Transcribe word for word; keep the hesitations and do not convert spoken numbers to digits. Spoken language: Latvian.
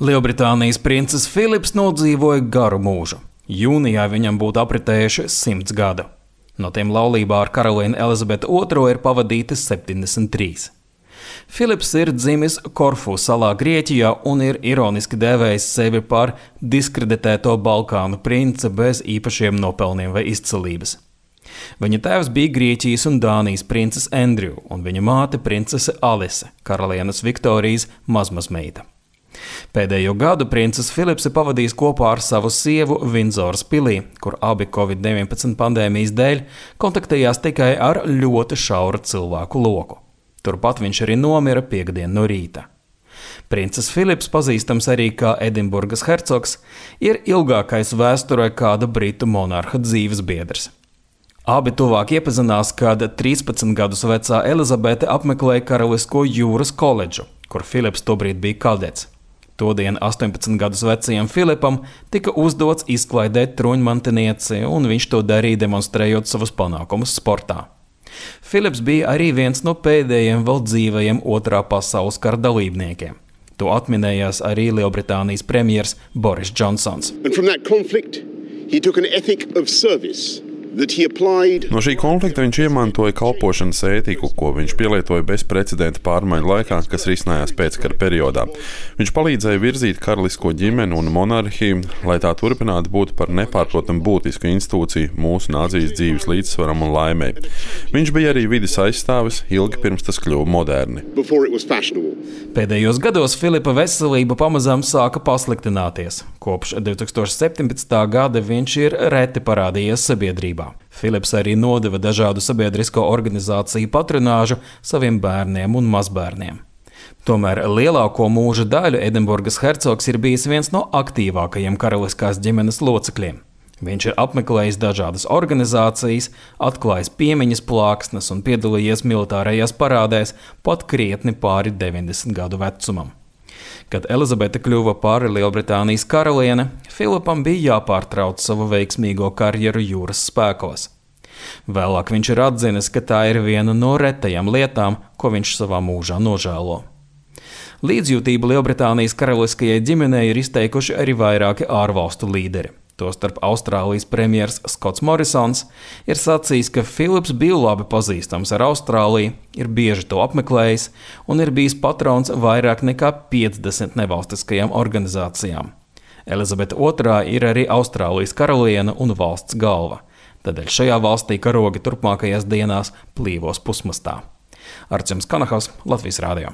Lielbritānijas princis Filips nodzīvoja garu mūžu. Jūnijā viņam būtu apritējuši simts gadu. No tiem laulībā ar karalieni Elizabeti otro ir pavadīti septiņdesmit trīs. Filips ir dzimis Korfu salā Grieķijā un ir ironiski dēvējis sevi par diskreditēto Balkānu princi bez īpašiem nopelniem vai izcilības. Viņa tēvs bija Grieķijas un Dānijas princis Andrew un viņa māte princese Alise, karalienes Viktorijas mazmazmeita. Pēdējo gadu princis Filips ir pavadījis kopā ar savu sievu Vindzoras pilī, kur abi covid deviņpadsmit pandēmijas dēļ kontaktējās tikai ar ļoti šauru cilvēku loku. Turpat viņš arī nomira piekdien no rīta. Princis Filips, pazīstams arī kā Edinburgas hercogs, ir ilgākais vēsturē kāda britu monarha dzīves biedrs. Abi tuvāk iepazinās, kad trīspadsmit gadus vecā Elizabete apmeklēja Karalisko jūras koledžu, kur Filips tobrīd bija kadets. Todien astoņpadsmit gadus vecajam Filipam tika uzdots izklaidēt truņmantinieci, un viņš to darīja demonstrējot savus panākumus sportā. Filips bija arī viens no pēdējiem vēl dzīvajiem otrā pasaules kara dalībniekiem. To atminējās arī Lielbritānijas premjers Boris Džonsons. No šī konflikta viņš iemantoja kalpošanas ētiku, ko viņš pielietoja bezprecedenta pārmaiņu laikā, kas risinājās pēckara periodā. Viņš palīdzēja virzīt karalisko ģimeni un monarhiju, lai tā turpinātu būt par nepārprotamu būtisku institūciju mūsu nācijas dzīves līdzsvaram un laimei. Viņš bija arī vides aizstāvis ilgi pirms tas kļuva moderni. Pēdējos gados Filipa veselība pamazām sāka pasliktināties. Kopš divi tūkstoši septiņpadsmitā gada viņš ir reti parādījies sabiedrībā. Filips arī nodeva dažādu sabiedrisko organizāciju patronāžu saviem bērniem un mazbērniem. Tomēr lielāko mūža daļu Edinburgas hercogs ir bijis viens no aktīvākajiem karaliskās ģimenes locekļiem. Viņš ir apmeklējis dažādas organizācijas, atklājis piemiņas plāksnes un piedalījies militārajās parādēs pat krietni pāri deviņdesmit gadu vecumam. Kad Elizabete kļuva par Lielbritānijas karaliene, Filipam bija jāpārtrauc savu veiksmīgo karjeru jūras spēkos. Vēlāk viņš ir atzinis, ka tā ir viena no retajām lietām, ko viņš savā mūžā nožēlo. Līdzjūtību Lielbritānijas karaliskajai ģimenei ir izteikuši arī vairāki ārvalstu līderi. Tostarp Austrālijas premjers Skots Morisons ir sacījis, ka Filips bija labi pazīstams ar Austrāliju, ir bieži to apmeklējis un ir bijis patrons vairāk nekā piecdesmit nevalstiskajām organizācijām. Elizabete otrā ir arī Austrālijas karaliene un valsts galva. Tādēļ šajā valstī karogi turpmākajās dienās plīvos pusmastā. Arčuns Kanahaus, Latvijas Rādio.